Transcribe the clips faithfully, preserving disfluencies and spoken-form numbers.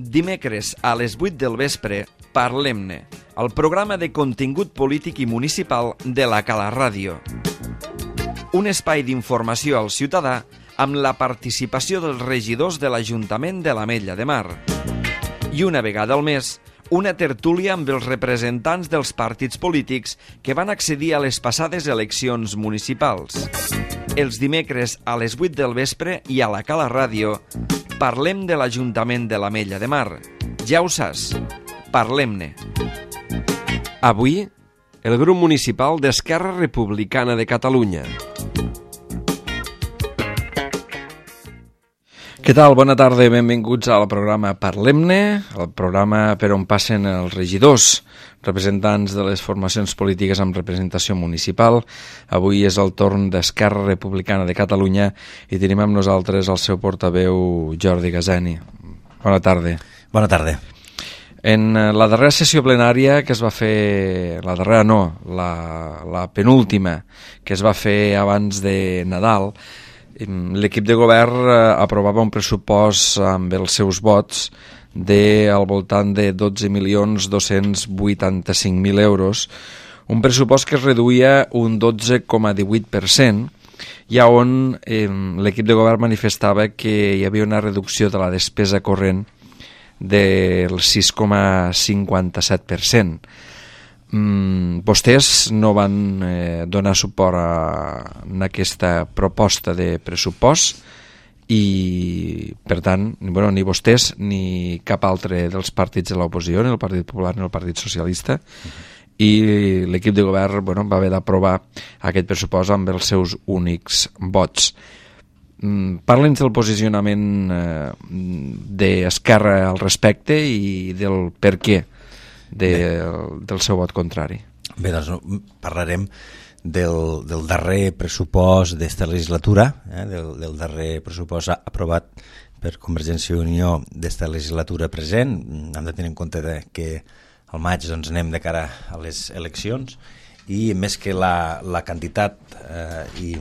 Dimecres a les vuit del vespre, Parlem-ne, el programa de contingut polític i municipal de la Cala Ràdio. Un espai d'informació al ciutadà amb la participació dels regidors de l'Ajuntament de l'Ametlla de Mar. I una vegada al mes, una tertúlia amb els representants dels partits polítics que van accedir a les passades eleccions municipals. Els dimecres a les vuit del vespre i a la Cala Ràdio parlem de l'Ajuntament de l'Ametlla de Mar. Ja ho saps, parlem-ne. Avui, el grup municipal d'Esquerra Republicana de Catalunya. Què tal? Bona tarda i benvinguts al programa Parlem-ne, el programa per on passen els regidors, representants de les formacions polítiques amb representació municipal. Avui és el torn d'Esquerra Republicana de Catalunya i tenim amb nosaltres el seu portaveu Jordi Gazani. Bona tarda. Bona tarda. En la darrera sessió plenària que es va fer, la darrera no, la, la penúltima que es va fer abans de Nadal, l'equip de govern aprovava un pressupost amb els seus vots de al voltant de dotze milions dos-cents vuitanta-cinc mil euros, un pressupost que es reduïa un dotze coma divuit per cent, i on eh, l'equip de govern manifestava que hi havia una reducció de la despesa corrent del sis coma cinquanta-set per cent. Mm, vostès no van eh, donar suport a, a aquesta proposta de pressupost i, per tant, bueno, ni vostès ni cap altre dels partits de l'oposició, ni el Partit Popular ni el Partit Socialista, uh-huh. i l'equip de govern bueno, va haver d'aprovar aquest pressupost amb els seus únics vots. Mm, Parla'ns del posicionament eh, d'Esquerra al respecte i del per què De, del seu vot contrari. Bé, doncs parlarem del, del darrer pressupost d'esta legislatura, eh, del, del darrer pressupost aprovat per Convergència i Unió d'esta legislatura present. Hem de tenir en compte de que al maig doncs, anem de cara a les eleccions i més que la, la quantitat eh, i,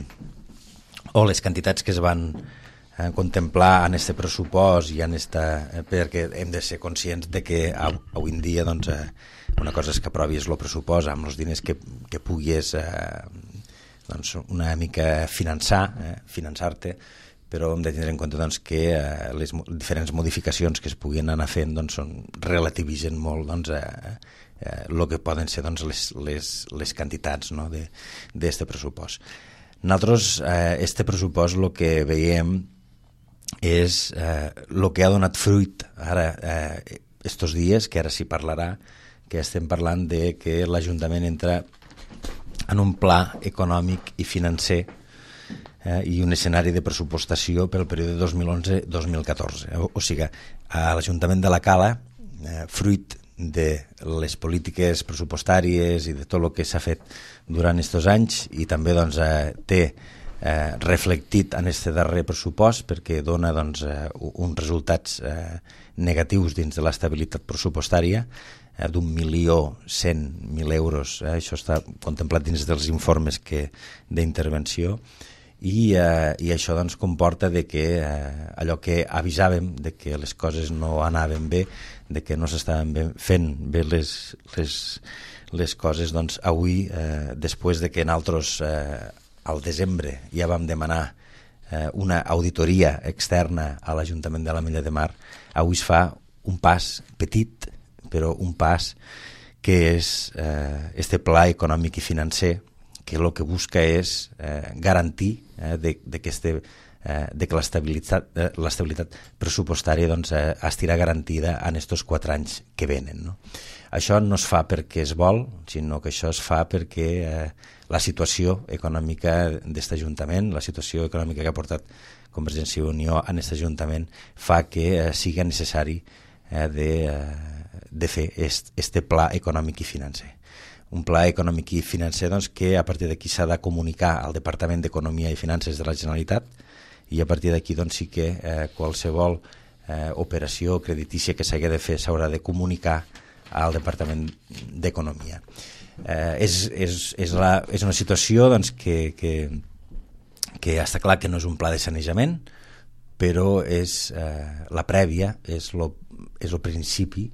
o les quantitats que es van eh, contemplar en este pressupost i en esta, eh, perquè hem de ser conscients de que avui en dia doncs, eh, una cosa és que aprovis el pressupost amb els diners que, que puguis eh, doncs, una mica finançar, eh, finançar-te, però hem de tenir en compte doncs, que eh, les diferents modificacions que es puguin anar fent doncs, són, relativitzen molt doncs, eh, eh, el que poden ser doncs, les, les, les quantitats no, d'aquest pressupost. Nosaltres, eh, este pressupost, el que veiem és eh, el que ha donat fruit ara eh, estos dies, que ara s'hi parlarà, que estem parlant de que l'Ajuntament entra en un pla econòmic i financer eh, i un escenari de pressupostació pel període dos mil onze a dos mil catorze. O, o sigui, a l'Ajuntament de la Cala, eh, fruit de les polítiques pressupostàries i de tot el que s'ha fet durant aquests anys i també doncs, eh, té Eh, reflectit en este darrer pressupost perquè dona doncs, eh, uns resultats eh, negatius dins de l'estabilitat pressupostària eh, d'un milió cent mil euros, eh, això està contemplat dins dels informes que d'intervenció i, eh, i això doncs, comporta de que eh, allò que avisàvem de que les coses no anaven bé, de que no s'estaven bé, fent bé les, les, les coses, doncs avui, eh, després de que nosaltres eh, al desembre ja vam demanar eh, una auditoria externa a l'Ajuntament de l'Ametlla de Mar, avui es fa un pas petit, però un pas que és eh, este pla econòmic i financer que el que busca és eh, garantir eh, de, de, que este, eh, de que l'estabilitat, eh, l'estabilitat pressupostària doncs, eh, estirà garantida en aquests quatre anys que venen. No? Això no es fa perquè es vol, sinó que això es fa perquè eh, la situació econòmica d'aquest Ajuntament, la situació econòmica que ha portat Convergència i Unió en aquest Ajuntament fa que eh, sigui necessari eh, de, eh, de fer est, este pla econòmic i financer. Un pla econòmic i financer doncs, que a partir d'aquí s'ha de comunicar al Departament d'Economia i Finances de la Generalitat i a partir d'aquí doncs, sí que eh, qualsevol eh, operació creditícia que s'hagi de fer s'haurà de comunicar al Departament d'Economia. Eh, és, és, és, la, és una situació doncs, que, que, que està clar que no és un pla de sanejament, però és eh, la prèvia, és el és el principi.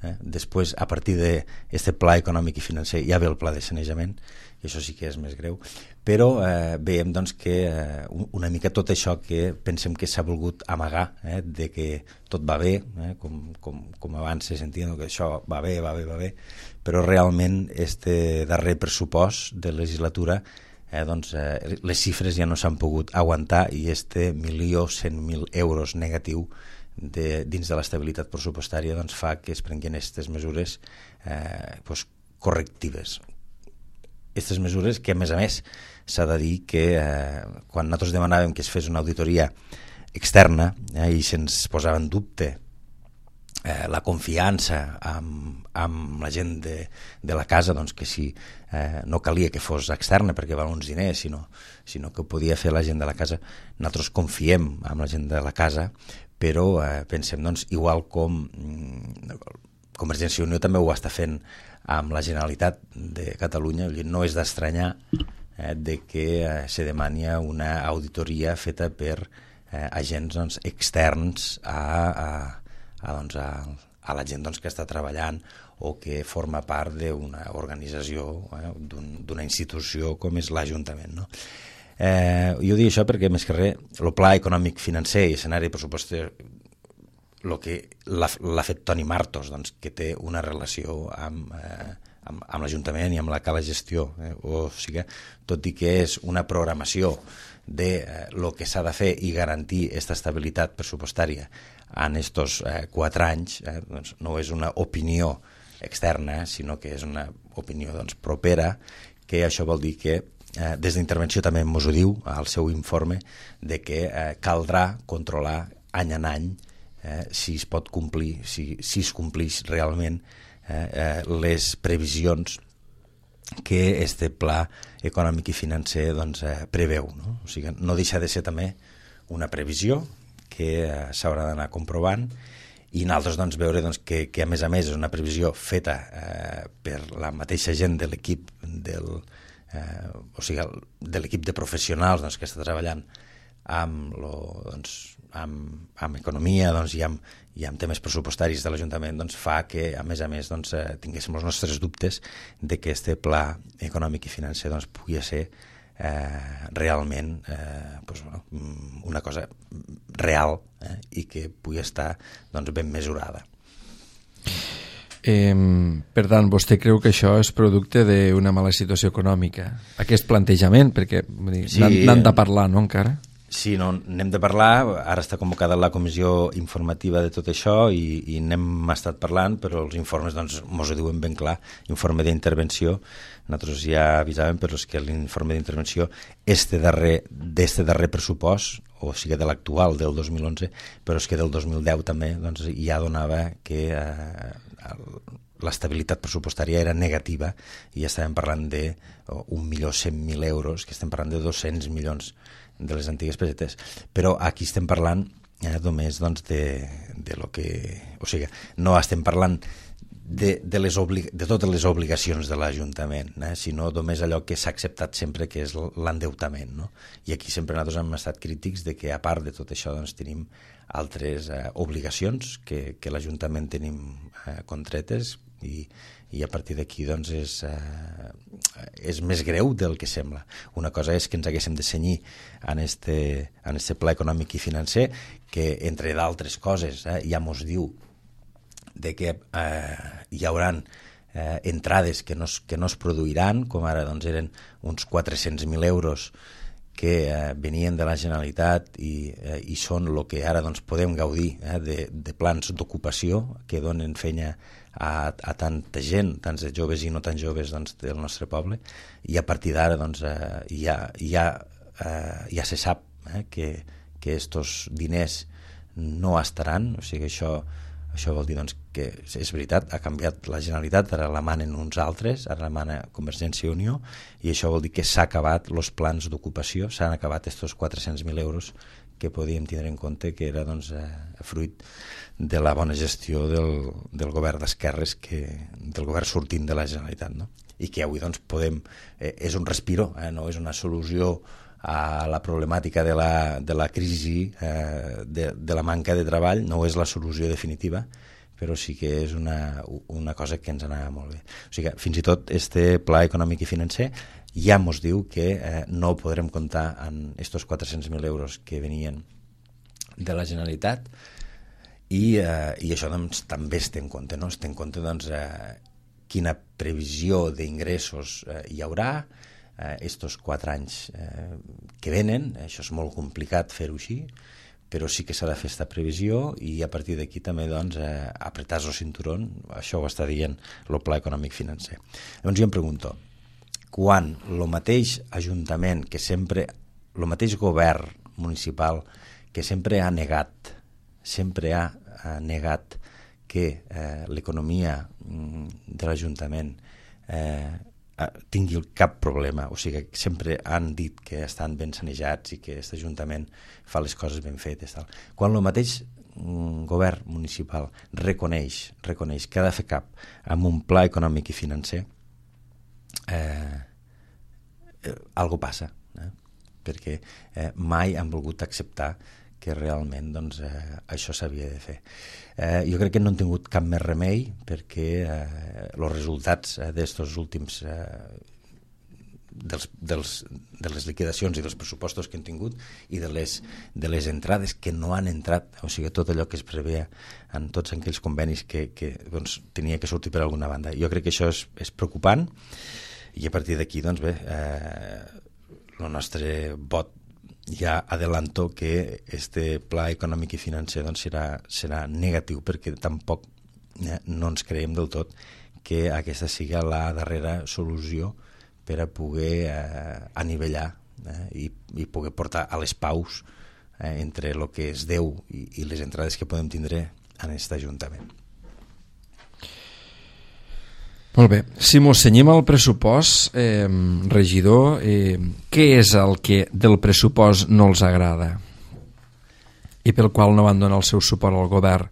Eh? Després, a partir d'aquest pla econòmic i financer, ja ve el pla de sanejament, i això sí que és més greu, però eh, veiem doncs, que eh, una mica tot això que pensem que s'ha volgut amagar, eh, de que tot va bé, eh, com, com, com abans se sentia, no? Que això va bé, va bé, va bé, però realment este darrer pressupost de legislatura, eh, doncs, eh, les xifres ja no s'han pogut aguantar i este milió cent mil euros negatiu de, dins de l'estabilitat pressupostària doncs, fa que es prenguin aquestes mesures eh, doncs, correctives. Aquestes mesures que, a més a més, s'ha de dir que eh, quan nosaltres demanàvem que es fes una auditoria externa eh, i se'ns posava en dubte eh, la confiança amb, amb la gent de, de la casa, doncs que si eh, no calia que fos externa perquè val uns diners, sinó, sinó que ho podia fer la gent de la casa, nosaltres confiem en la gent de la casa, però eh, pensem, doncs, igual com mm, Convergència i Unió també ho està fent amb la Generalitat de Catalunya, no és d'estranyar eh, de que eh, se demani una auditoria feta per eh, agents doncs, externs a, a, a, doncs, a, a la gent doncs, que està treballant o que forma part d'una organització, eh, d'una institució com és l'Ajuntament, no? Eh, jo dic això perquè, més que res, el pla econòmic financer i escenari pressupostari el que l'ha fet Toni Martos, doncs, que té una relació amb, eh, amb, amb l'Ajuntament i amb la cala gestió. Eh? O sigui, tot i que és una programació de eh, lo que s'ha de fer i garantir aquesta estabilitat pressupostària en estos eh, quatre anys, eh, doncs no és una opinió externa, sinó que és una opinió doncs, propera, que això vol dir que eh, des d'intervenció també ens ho diu al seu informe, de que eh, caldrà controlar any en any Eh, si es pot complir, si, si es complix realment eh, eh, les previsions que este pla econòmic i financer doncs, eh, preveu. No? O sigui, no deixa de ser també una previsió que eh, s'haurà d'anar comprovant i nosaltres doncs, veure doncs, que, que a més a més és una previsió feta eh, per la mateixa gent de l'equip del, eh, o sigui, de l'equip de professionals doncs, que està treballant amb, lo, doncs, amb, amb economia doncs, i, amb, i amb temes pressupostaris de l'Ajuntament doncs, fa que, a més a més, doncs, eh, tinguéssim els nostres dubtes de que este pla econòmic i financer doncs, pugui ser eh, realment eh, doncs, una cosa real eh, i que pugui estar doncs, ben mesurada. Eh, per tant, vostè creu que això és producte d'una mala situació econòmica? Aquest plantejament, perquè sí, n'han de parlar, no, encara? Sí, no, n'hem de parlar, ara està convocada la comissió informativa de tot això i, i n'hem estat parlant, però els informes doncs mos ho diuen ben clar, informe d'intervenció, nosaltres ja avisàvem, però és que l'informe d'intervenció este darrer, d'este darrer pressupost, o sigui de l'actual, del dos mil onze, però és que del dos mil deu també doncs, ja donava que eh, l'estabilitat pressupostària era negativa i ja estàvem parlant d'un milió cent mil euros, que estem parlant de dos-cents milions de les antigues pessetes, però aquí estem parlant eh, només doncs, de, de lo que... O sigui, no estem parlant de, de, les obli... de totes les obligacions de l'Ajuntament, eh, sinó només allò que s'ha acceptat sempre, que és l'endeutament. No? I aquí sempre nosaltres hem estat crítics de que, a part de tot això, doncs, tenim altres eh, obligacions que, que l'Ajuntament tenim eh, contretes i, i a partir d'aquí doncs, és, eh, és més greu del que sembla. Una cosa és que ens haguéssim de cenyir en este, en este pla econòmic i financer, que entre d'altres coses eh, ja mos diu de que eh, hi haurà eh, entrades que no, es, que no es produiran, com ara doncs, eren uns quatre-cents mil euros que eh, venien de la Generalitat i, eh, i són el que ara doncs, podem gaudir eh, de, de plans d'ocupació que donen feina a, a tanta gent, tants de joves i no tan joves doncs, del nostre poble, i a partir d'ara doncs, eh, ja, ja, eh, ja se sap eh, que, que estos diners no estaran, o sigui, això Això vol dir doncs, que és veritat, ha canviat la Generalitat, ara la manen uns altres, ara la mana Convergència i Unió, i això vol dir que s'ha acabat els plans d'ocupació, s'han acabat aquests quatre-cents mil euros que podíem tindre en compte que era doncs, eh, fruit de la bona gestió del, del govern d'esquerres, que, del govern sortint de la Generalitat, no? I que avui doncs, podem, eh, és un respiro, eh, no és una solució a la problemàtica de la, de la crisi, eh, de, de la manca de treball. No és la solució definitiva, però sí que és una, una cosa que ens anava molt bé. O sigui que fins i tot este pla econòmic i financer ja ens diu que eh, no podrem comptar en estos quatre-cents mil euros que venien de la Generalitat, i, eh, i això doncs, també es té en compte, no? Es té en compte doncs, eh, quina previsió d'ingressos eh, hi haurà eh, estos quatre anys eh, que venen. Això és molt complicat fer-ho així, però sí que s'ha de fer aquesta previsió, i a partir d'aquí també doncs, eh, apretar el cinturón. Això ho està dient el pla econòmic financer. Llavors jo em pregunto, quan el mateix Ajuntament, que sempre, el mateix govern municipal, que sempre ha negat, sempre ha, ha negat que eh, l'economia de l'Ajuntament eh, tingui cap problema, o sigui que sempre han dit que estan ben sanejats i que aquest Ajuntament fa les coses ben fetes. Tal. Quan el mateix mm, govern municipal reconeix, reconeix que ha de fer cap amb un pla econòmic i financer, eh, eh, algo passa, eh? perquè eh, mai han volgut acceptar que realment doncs, eh, això s'havia de fer. Eh, jo crec que no han tingut cap més remei, perquè eh, els resultats eh, d'estos últims eh, dels, dels, de les liquidacions i dels pressupostos que han tingut i de les, de les entrades que no han entrat, o sigui, tot allò que es preveia en tots aquells convenis que, que doncs, tenia que sortir per alguna banda. Jo crec que això és, és preocupant, i a partir d'aquí doncs bé, eh, el nostre vot ja adelanto que este pla econòmic i financer doncs, serà, serà negatiu, perquè tampoc eh, no ens creiem del tot que aquesta sigui la darrera solució per a poder eh, anivellar eh, i, i poder portar a les paus eh, entre el que es deu i, i les entrades que podem tindre en aquest Ajuntament. Molt bé, si mos cenyim al pressupost, eh, regidor, eh, què és el que del pressupost no els agrada i pel qual no van donar el seu suport al govern?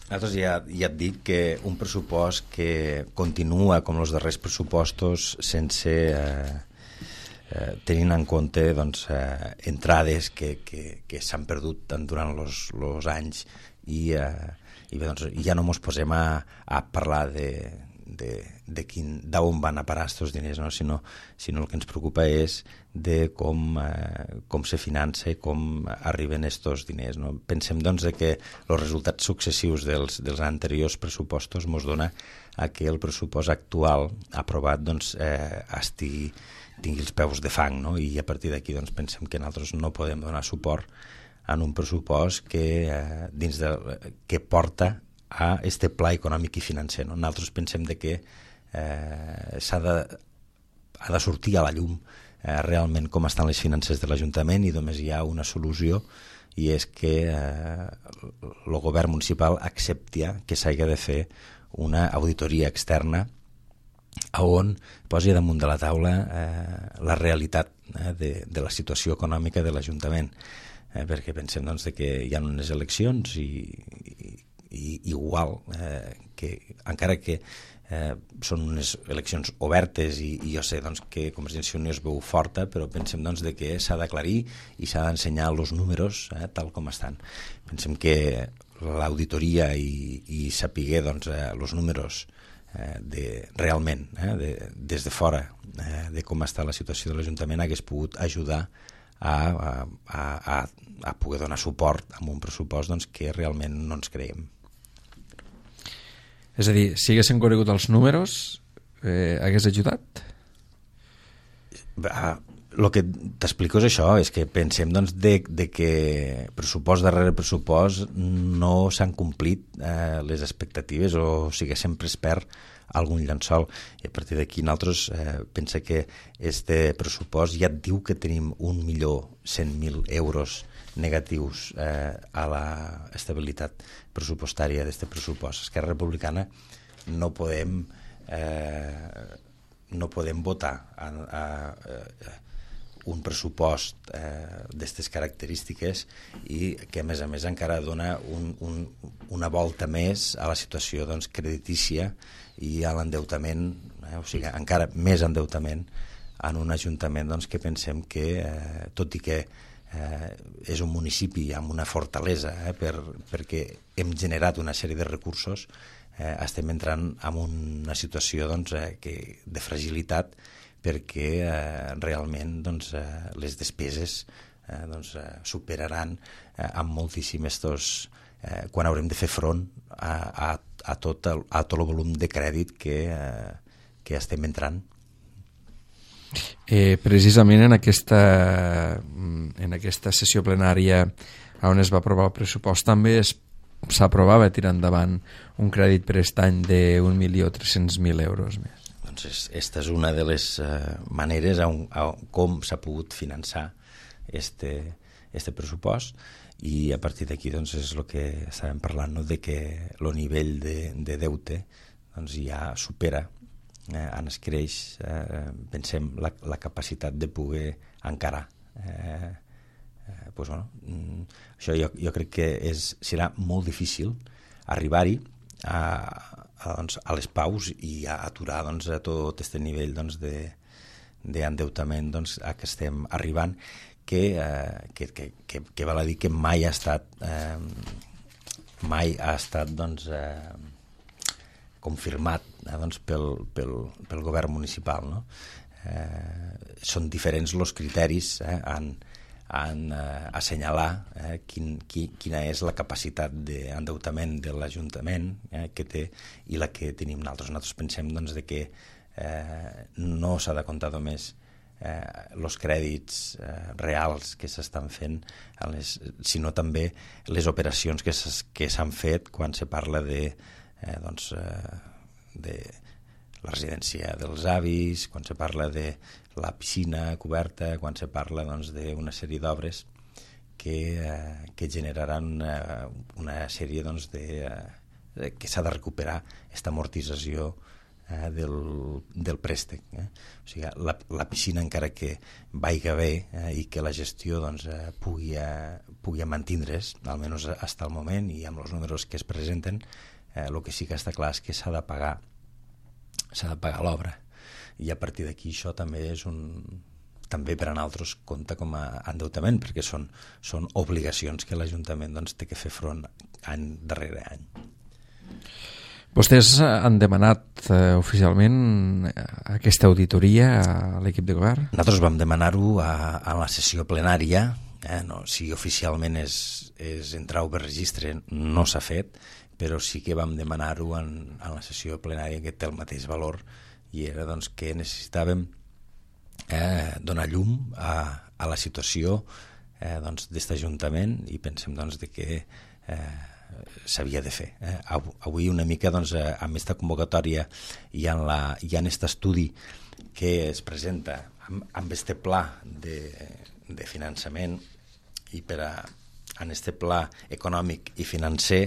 Nosaltres ja, ja et dic que un pressupost que continua com els darrers pressupostos sense eh, eh, tenint en compte doncs, eh, entrades que, que, que s'han perdut durant els anys, i eh, i bé, doncs, ja no ens posem a, a parlar de, de, de quin, d'on van a parar aquests diners, no? sinó, sinó el que ens preocupa és de com, eh, com se finança i com arriben aquests diners. No? Pensem doncs, de que els resultats successius dels, dels anteriors pressupostos ens dona a que el pressupost actual aprovat doncs, eh, estigui, tingui els peus de fang, no? I a partir d'aquí doncs, pensem que nosaltres no podem donar suport en un pressupost que, eh, dins de, que porta a este pla econòmic i financer. No? Nosaltres pensem de que eh, s'ha de, ha de sortir a la llum eh, realment com estan les finances de l'Ajuntament, i només hi ha una solució, i és que eh, el govern municipal accepti que s'hagi de fer una auditoria externa on posi damunt de la taula eh, la realitat eh, de, de la situació econòmica de l'Ajuntament. Eh, perquè pensem doncs, que hi ha unes eleccions i, i, i igual eh, que encara que eh, són unes eleccions obertes i, i jo sé doncs, que Convergència i Unió es veu forta, però pensem doncs, de que s'ha d'aclarir i s'ha d'ensenyar els números eh, tal com estan. Pensem que l'auditoria i, i saber doncs, eh, els números eh, de, realment eh, de, des de fora eh, de com està la situació de l'Ajuntament hagués pogut ajudar A, a, a, a poder donar suport a un pressupost doncs, que realment no ens creiem. És a dir, si haguessin conegut els números, eh, hagués ajudat? El que t'explico és això, és que pensem doncs, de, de que pressupost darrere pressupost no s'han complit eh, les expectatives, o sigui, sempre es perd algun llençol, i a partir d'aquí nosaltres eh, pensa que este pressupost ja et diu que tenim un milió cent mil euros negatius eh, a la estabilitat pressupostària d'este pressupost. Esquerra Republicana no podem eh, no podem votar a, a, a un pressupost eh, d'aquestes característiques i que a més a més encara dona un, un, una volta més a la situació doncs, creditícia i a l'endeutament, eh, o sigui, encara més endeutament en un ajuntament doncs, que pensem que, eh, tot i que eh, és un municipi amb una fortalesa, eh, per, perquè hem generat una sèrie de recursos, eh, estem entrant en una situació doncs, eh, que, de fragilitat, perquè eh, realment doncs, eh, les despeses eh, doncs, eh, superaran eh, amb moltíssim estos, eh, quan haurem de fer front a, a, a, tot el, a tot el volum de crèdit que, eh, que estem entrant. Eh, precisament en aquesta, en aquesta sessió plenària on es va aprovar el pressupost també s'aprovava tirar endavant un crèdit per aquest any d'un milió tres-cents mil euros més. Doncs és, esta és una de les uh, maneres on, on, com s'ha pogut finançar este, este pressupost, i a partir d'aquí doncs, és el que estàvem parlant, no? De que el nivell de, de deute doncs, ja supera, eh, en es creix, eh, pensem, la, la capacitat de poder encarar. Eh, eh, doncs, bueno, mm, això jo, jo crec que és, serà molt difícil arribar-hi a, a, doncs, a les paus i a aturar doncs, a tot aquest nivell doncs, de, d'endeutament doncs, a què estem arribant, que, eh, que, que, que, que val a dir que mai ha estat eh, mai ha estat doncs, eh, confirmat eh, doncs, pel, pel, pel govern municipal, no? Eh, són diferents els criteris eh, en, en eh, assenyalar eh, quin, qui, quina és la capacitat d'endeutament de l'Ajuntament eh, que té i la que tenim nosaltres. Nosaltres pensem doncs, de que eh, no s'ha de comptar només els eh, crèdits eh, reals que s'estan fent, les, sinó també les operacions que s'han fet quan se parla de, eh, doncs, eh, de la residència dels avis, quan se parla de la piscina coberta, quan se parla doncs, d'una sèrie d'obres que, eh, que generaran eh, una sèrie doncs, de, eh, que s'ha de recuperar aquesta amortització eh, del, del préstec. Eh? O sigui, la, la piscina, encara que vaiga bé eh, i que la gestió doncs, eh, pugui, eh, pugui mantindre's, almenys fins al moment, i amb els números que es presenten, eh, el que sí que està clar és que s'ha de pagar s'ha de pagar l'obra, i a partir d'aquí això també és un també per a nosaltres compta com a endeutament, perquè són, són obligacions que l'Ajuntament doncs, té que fer front any darrere any. Vostès han demanat eh, oficialment aquesta auditoria a l'equip de govern? Nosaltres vam demanar-ho a, a la sessió plenària, eh, no, si oficialment és, és entrar per registre no s'ha fet, però sí que vam demanar-ho en, en la sessió plenària, que té el mateix valor, i era doncs, que necessitàvem eh, donar llum a, a la situació eh, doncs, d'aquest Ajuntament, i pensem doncs, de que eh, s'havia de fer. Eh? Avui una mica doncs, amb aquesta convocatòria i en aquest estudi que es presenta amb, amb este pla de, de finançament, i per a en aquest pla econòmic i financer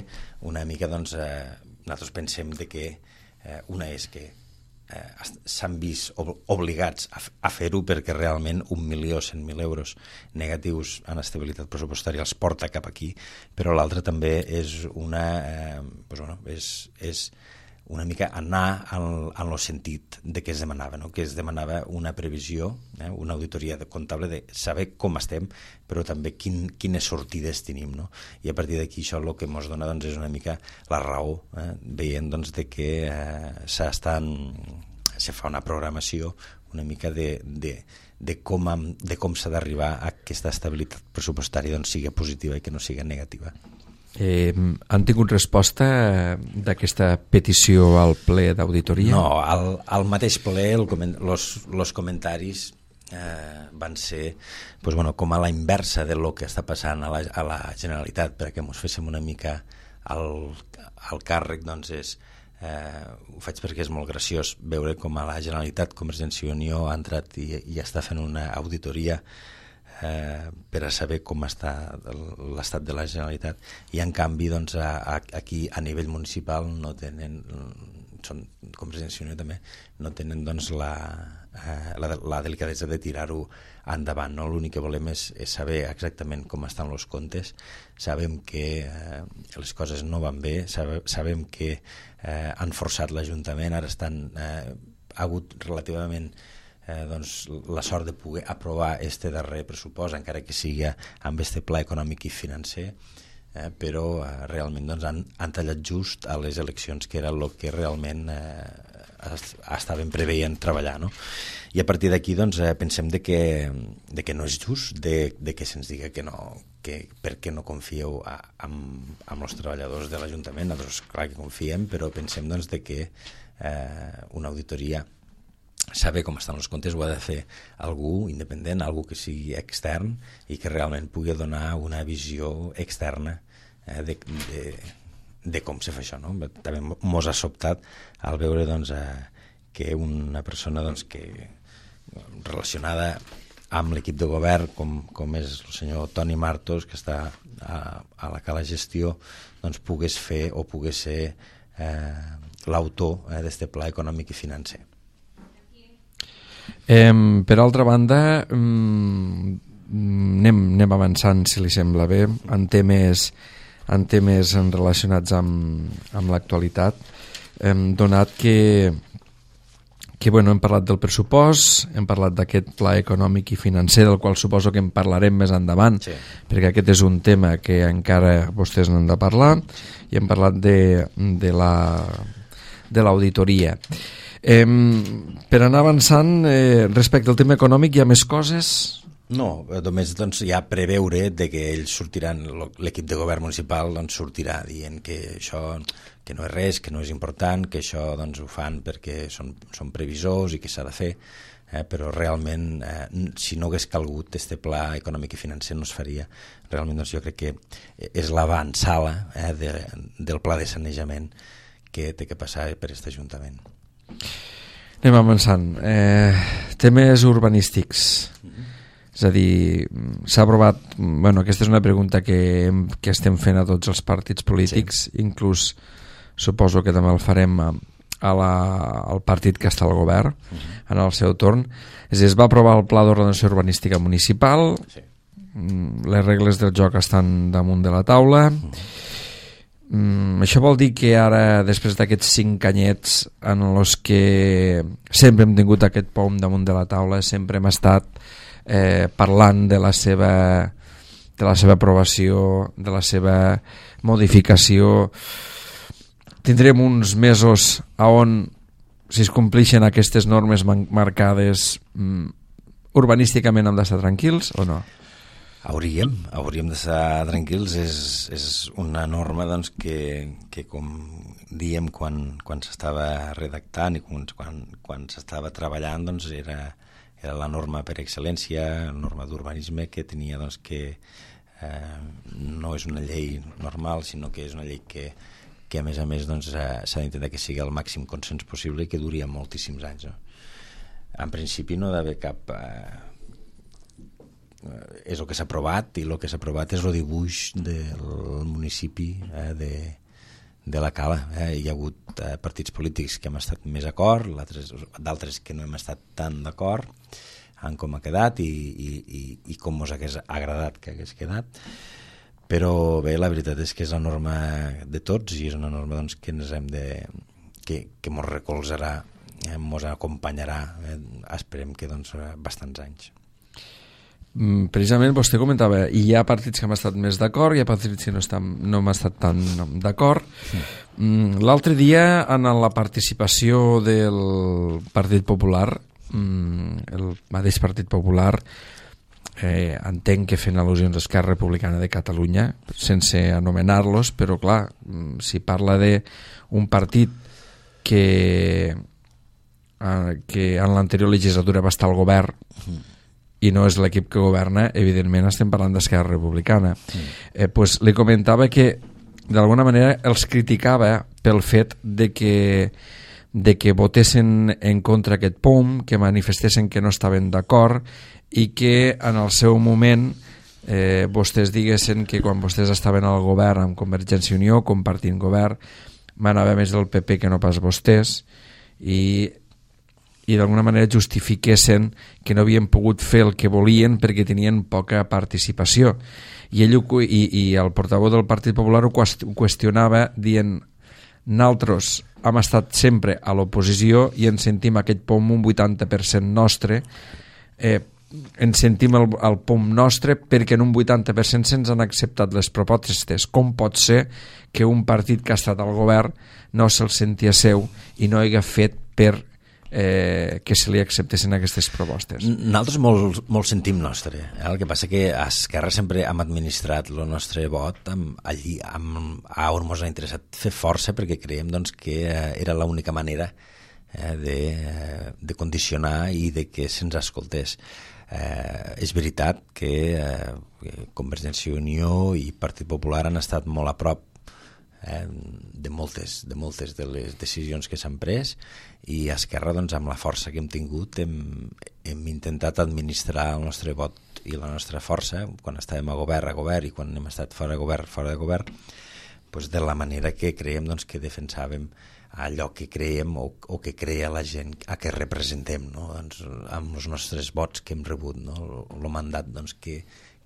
una mica doncs, eh, nosaltres pensem de que eh, una és que eh, s'han vist ob obligats a, a fer-ho, perquè realment un milió cent mil euros negatius en estabilitat pressupostària els porta cap aquí, però l'altra també és una eh, doncs, bueno, és, és una mica anar en, en el sentit de què es demanava, no? Que es demanava una previsió, eh? una auditoria comptable de saber com estem, però també quin, quines sortides tenim, no? I a partir d'aquí això el que ens dona doncs, és una mica la raó, eh? veient doncs, de que eh, s'estan, se fa una programació una mica de, de, de com, de com s'ha d'arribar a aquesta estabilitat pressupostària doncs, sigui positiva i que no sigui negativa. Eh, han tingut resposta d'aquesta petició al ple d'auditoria? No, al, al mateix ple els comentaris eh, van ser pues, bueno, com a la inversa de lo que està passant a la, a la Generalitat, perquè ens féssim una mica al, al càrrec, doncs és, eh, ho faig perquè és molt graciós veure com a la Generalitat Convergència i Unió ha entrat i, i està fent una auditoria Eh, per a saber com està l'estat de la Generalitat, i en canvi doncs, a, a, aquí a nivell municipal no tenen, són Convergència i Unió també, no tenen doncs, la, eh, la, la delicadesa de tirar-ho endavant, no? L'únic que volem és, és saber exactament com estan els comptes, sabem que eh, les coses no van bé, sabe, sabem que eh, han forçat l'Ajuntament, ara estan, eh, ha hagut relativament eh, doncs, la sort de poder aprovar este darrer pressupost, encara que sigui amb este pla econòmic i financer, eh, però eh, realment doncs, han, han tallat just a les eleccions, que era el que realment eh, estaven preveient treballar, no? I a partir d'aquí doncs, eh, pensem de que, de que no és just, de, de que se'ns diga que no, que per què no confieu a, amb, amb els treballadors de l'Ajuntament. Nosaltres clar que confiem, però pensem doncs, de que eh, una auditoria, saber com estan els comptes, ho ha de fer algú independent, algú que sigui extern i que realment pugui donar una visió externa eh, de, de, de com se fa això, no? També mos ha sobtat al veure doncs, eh, que una persona doncs, que relacionada amb l'equip de govern, com, com és el senyor Toni Martos, que està a, a la Cala Gestió, doncs pogués fer o pogués ser eh, l'autor eh, d'este pla econòmic i financer. Eh, per altra banda, mm, anem, anem avançant, si li sembla bé, en temes, en temes relacionats amb, amb l'actualitat, eh, donat que, que bueno, hem parlat del pressupost, hem parlat d'aquest pla econòmic i financer, del qual suposo que en parlarem més endavant, sí. Perquè aquest és un tema que encara vostès n'han de parlar, i hem parlat de, de la, de l'auditoria. Eh, per anar avançant, eh, respecte al tema econòmic, hi ha més coses? No, només doncs, ja preveure de que ells sortiran, l'equip de govern municipal doncs, sortirà dient que això que no és res, que no és important, que això doncs, ho fan perquè són, són previsors i que s'ha de fer, eh, però realment eh, si no hagués calgut este pla econòmic i financer no es faria. Realment doncs, jo crec que és l'avançala eh, de, del pla de sanejament que té que passar per aquest Ajuntament. Anem avançant. Eh, temes urbanístics. Mm-hmm. És a dir, s'ha aprovat... Bueno, aquesta és una pregunta que, que estem fent a tots els partits polítics, sí. Inclús suposo que també el farem a, a la, al partit que està al govern, mm-hmm. En el seu torn. És a dir, es va aprovar el Pla d'Ordenació Urbanística Municipal, sí. Les regles del joc estan damunt de la taula... Mm-hmm. Mm, això vol dir que ara, després d'aquests cinc anyets en els que sempre hem tingut aquest pom damunt de la taula, sempre hem estat eh, parlant de la seva de la seva aprovació, de la seva modificació, tindrem uns mesos a on, si es complixen aquestes normes marcades, mm, urbanísticament hem d'estar tranquils o no? Hauríem, hauríem d'estar tranquils, és, és una norma doncs, que, que com diem quan, quan s'estava redactant i quan, quan, quan s'estava treballant doncs, era, era la norma per excel·lència, la norma d'urbanisme que tenia doncs, que eh, no és una llei normal, sinó que és una llei que, que a més a més doncs, eh, s'ha d'intentar que sigui el màxim consens possible i que duri moltíssims anys. No? En principi no ha d'haver cap... Eh, és el que s'ha aprovat i el que s'ha aprovat és el dibuix del municipi eh, de, de la Cala. Eh? Hi ha hagut eh, partits polítics que hem estat més d'acord, d'altres que no hem estat tan d'acord en com ha quedat i, i, i, i com ens hagués agradat que hagués quedat, però bé, la veritat és que és la norma de tots i és una norma doncs, que ens hem de que, que ens recolzarà, eh, ens acompanyarà, eh, esperem que doncs, bastants anys. Precisament vostè comentava, hi ha partits que han estat més d'acord, hi ha partits que no, estan, no hem estat tan d'acord. Sí. L'altre dia, en la participació del Partit Popular, el mateix Partit Popular, eh, entenc que fent al·lusions a Esquerra Republicana de Catalunya, sense anomenar-los, però clar, si parla d'un partit que, eh, que en l'anterior legislatura va estar al govern, mm. i no és l'equip que governa, evidentment estem parlant d'Esquerra Republicana. Mm. Eh, pues, li comentava que d'alguna manera els criticava pel fet de que, de que votessin en contra aquest P O M, que manifestessin que no estaven d'acord i que en el seu moment eh, vostès diguessin que quan vostès estaven al govern amb Convergència i Unió, compartint govern, manava més el P P que no pas vostès, i i d'alguna manera justifiquessin que no havien pogut fer el que volien perquè tenien poca participació. I ell i, i el portaveu del Partit Popular ho qüestionava dient Nosaltres hem estat sempre a l'oposició i ens sentim aquest P O M un vuitanta per cent nostre, eh, ens sentim el, el P O M nostre perquè en un vuitanta per cent se'ns han acceptat les propostes. Com pot ser que un partit que ha estat al govern no se'l sentia seu i no hagués fet per eh, que se li acceptessin aquestes propostes? Nosaltres molt, molt sentim nostre. Eh? El que passa que a Esquerra sempre hem administrat el nostre vot amb, allí amb, a on ens ha interessat fer força, perquè creiem doncs, que era l'única manera eh, de, de condicionar i de que se'ns escoltés. Eh, és veritat que eh, Convergència i Unió i Partit Popular han estat molt a prop eh, de moltes de moltes de les decisions que s'han pres, i a Esquerra, doncs, amb la força que hem tingut hem, hem intentat administrar el nostre vot i la nostra força quan estàvem a govern a govern i quan hem estat fora de govern fora de govern, doncs, de la manera que creiem, doncs, que defensàvem allò que creiem o, o que crea la gent a què representem, no? Doncs, amb els nostres vots que hem rebut, no? el, el mandat, doncs, que,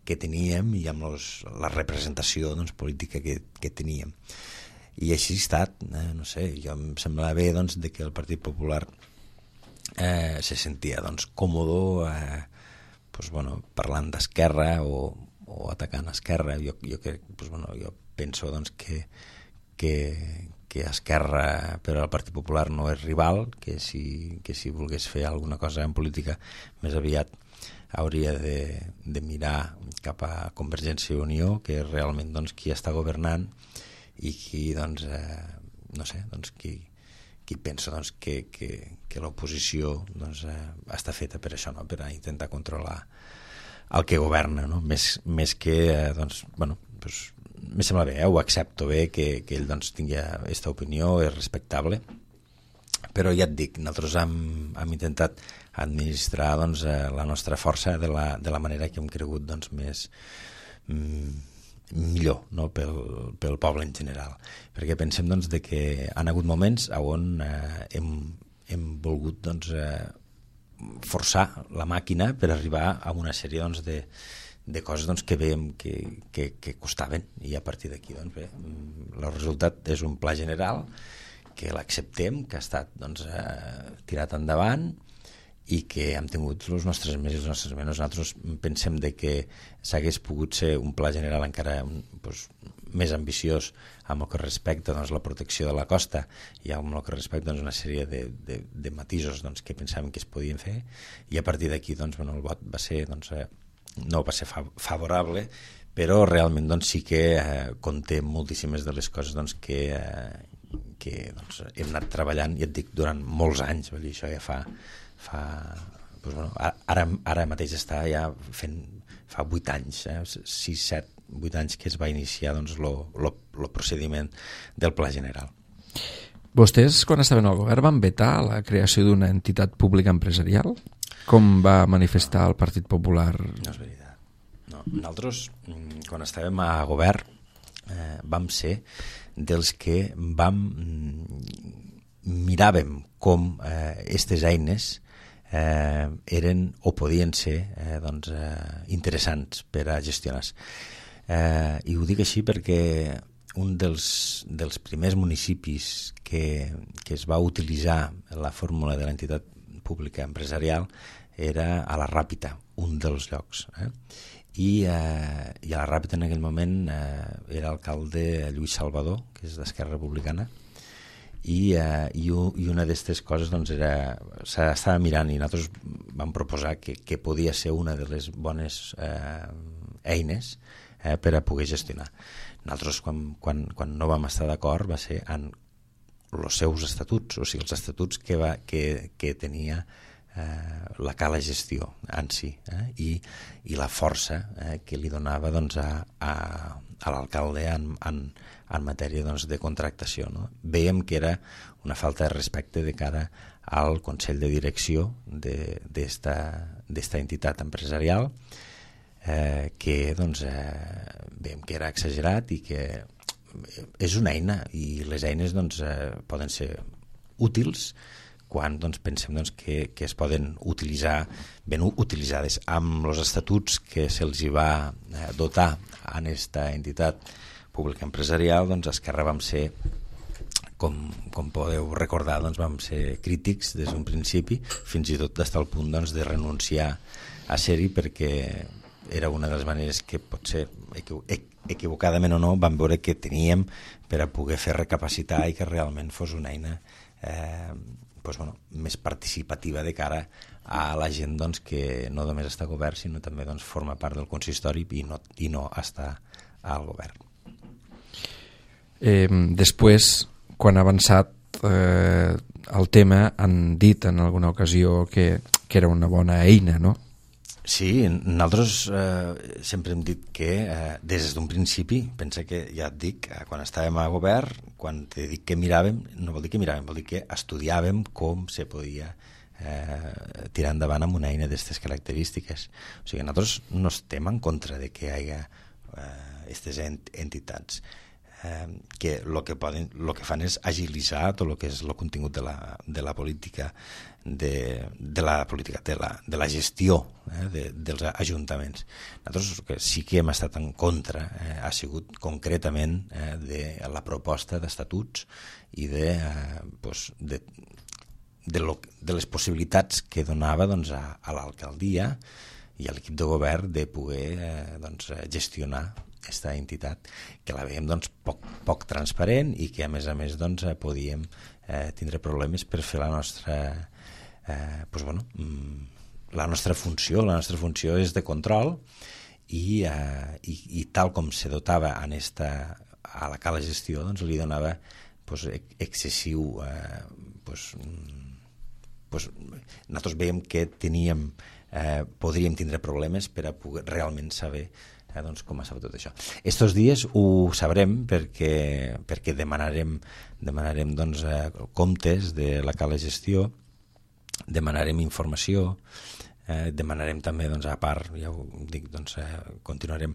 que teníem i amb los, la representació, doncs, política que, que teníem. I així ha estat, eh? no sé, jo em semblava bé, doncs, de que el Partit Popular eh, se sentia, doncs, còmodo eh, pues, bueno, parlant d'Esquerra o, o atacant Esquerra. Jo, jo, que, pues, bueno, jo penso, doncs, que, que que Esquerra per al Partit Popular no és rival, que si, que si volgués fer alguna cosa en política més aviat hauria de, de mirar cap a Convergència i Unió, que és realment, doncs, qui està governant i qui, doncs, eh, no sé, doncs, qui, qui pensa, doncs, que, que, que l'oposició, doncs, eh, està feta per això, no? Per a intentar controlar el que governa, no? Més, més que, eh, doncs, bueno, doncs, me sembla bé, eh? Ho accepto bé que, que ell, doncs, tingui aquesta opinió, és respectable, però ja et dic, nosaltres hem, hem intentat administrar, doncs, la nostra força de la, de la manera que hem cregut, doncs, més mm, millor, no? pel, pel poble en general, perquè pensem, doncs, de que han hagut moments on eh, hem, hem volgut, doncs, eh, forçar la màquina per arribar a una sèrie, doncs, de de coses, doncs, que veiem que, que, que costaven, i a partir d'aquí, doncs, bé, el resultat és un pla general que l'acceptem, que ha estat, doncs, eh, tirat endavant i que hem tingut els nostres més i els nostres menys. Nosaltres pensem de que s'hagués pogut ser un pla general encara, doncs, més ambiciós amb el que respecta, doncs, la protecció de la costa i amb el que respecta, doncs, una sèrie de, de, de matisos, doncs, que pensàvem que es podien fer, i a partir d'aquí, doncs, bueno, el vot va ser, doncs, eh, no va ser favorable, però realment, doncs, sí que eh, conté moltíssimes de les coses, doncs, que, eh, que doncs, hem anat treballant, i et dic, durant molts anys. Vull dir, això ja fa, fa doncs, bueno, ara, ara mateix està ja fent, fa vuit anys, eh, sis, set, vuit anys que es va iniciar, doncs, lo, lo, lo procediment del Pla General. Vostès, quan estaven al govern, van vetar la creació d'una entitat pública empresarial? Com va manifestar el Partit Popular? No és veritat. No. Nosaltres, quan estàvem a govern, eh, vam ser dels que vam miràvem com aquestes eh, eines eh, eren o podien ser eh, doncs, eh, interessants per a gestionar. Eh, I ho dic així perquè un dels, dels primers municipis que, que es va utilitzar la fórmula de l'entitat pública empresarial era a la Ràpita, un dels llocs. Eh? I, eh, I a la Ràpita en aquell moment eh, era alcalde Lluís Salvador, que és d'Esquerra Republicana, i, eh, i, i una d'aquestes coses, doncs, era, s'estava mirant, i nosaltres vam proposar que, que podia ser una de les bones eh, eines eh, per a poder gestionar. Nosaltres, quan, quan, quan no vam estar d'acord, va ser en els seus estatuts, o sigui, els estatuts que, va, que, que tenia eh, la cala gestió en si, eh, i, i la força eh, que li donava, doncs, a, a, a l'alcalde en, en, en matèria, doncs, de contractació. No? Veiem que era una falta de respecte de cara al Consell de Direcció d'esta entitat empresarial, eh, que, doncs, eh, veiem que era exagerat i que és una eina, i les eines, doncs, eh, poden ser útils quan, doncs, pensem, doncs, que, que es poden utilitzar, ben utilitzades. Amb els estatuts que se'ls va eh, dotar en aquesta entitat pública empresarial, doncs, Esquerra vam ser com, com podeu recordar, doncs vam ser crítics des d'un principi, fins i tot fins al punt doncs, de renunciar a ser-hi, perquè era una de les maneres que potser equivocadament o no vam veure que teníem per a poder fer recapacitar i que realment fos una eina eh, doncs, bueno, més participativa de cara a la gent doncs, que no només està al govern sinó també doncs, forma part del consistori i no, i no està al govern. Eh, després, quan ha avançat eh, el tema, han dit en alguna ocasió que, que era una bona eina, no? Sí, nosaltres eh, sempre hem dit que eh, des d'un principi, pensa que ja et dic, eh, quan estàvem a govern, quan te dic que miràvem, no vol dir que miràvem, vol dir que estudiàvem com se podia eh, tirar endavant amb una eina d'aquestes característiques. O sigui, nosaltres no estem en contra de que hi hagi aquestes eh, ent entitats. Eh, que el que, poden, lo que fan és agilitzar tot el que és el contingut de la, de la política de, de la política de la, de la gestió eh, de, dels ajuntaments. Nosaltres que sí que hem estat en contra eh, ha sigut concretament eh, de la proposta d'estatuts i de, eh, pues, de, de, lo, de les possibilitats que donava doncs, a, a l'alcaldia i a l'equip de govern de poder eh, doncs, gestionar aquesta entitat, que la veiem doncs, poc, poc transparent i que a més a més doncs, podíem eh, tindre problemes per fer la nostra eh, pues, bueno, la nostra funció. La nostra funció és de control i, eh, i, i tal com se dotava en esta, a la cala gestió doncs, li donava pues, excessiu eh, pues, pues, nosaltres veiem que teníem eh, podríem tindre problemes per a poder realment saber Eh, doncs com ha sabut tot això. Estos dies ho sabrem perquè, perquè demanarem, demanarem doncs, eh, comptes de la cala gestió, demanarem informació, eh, demanarem també, doncs, a part, ja ho dic, doncs, eh, continuarem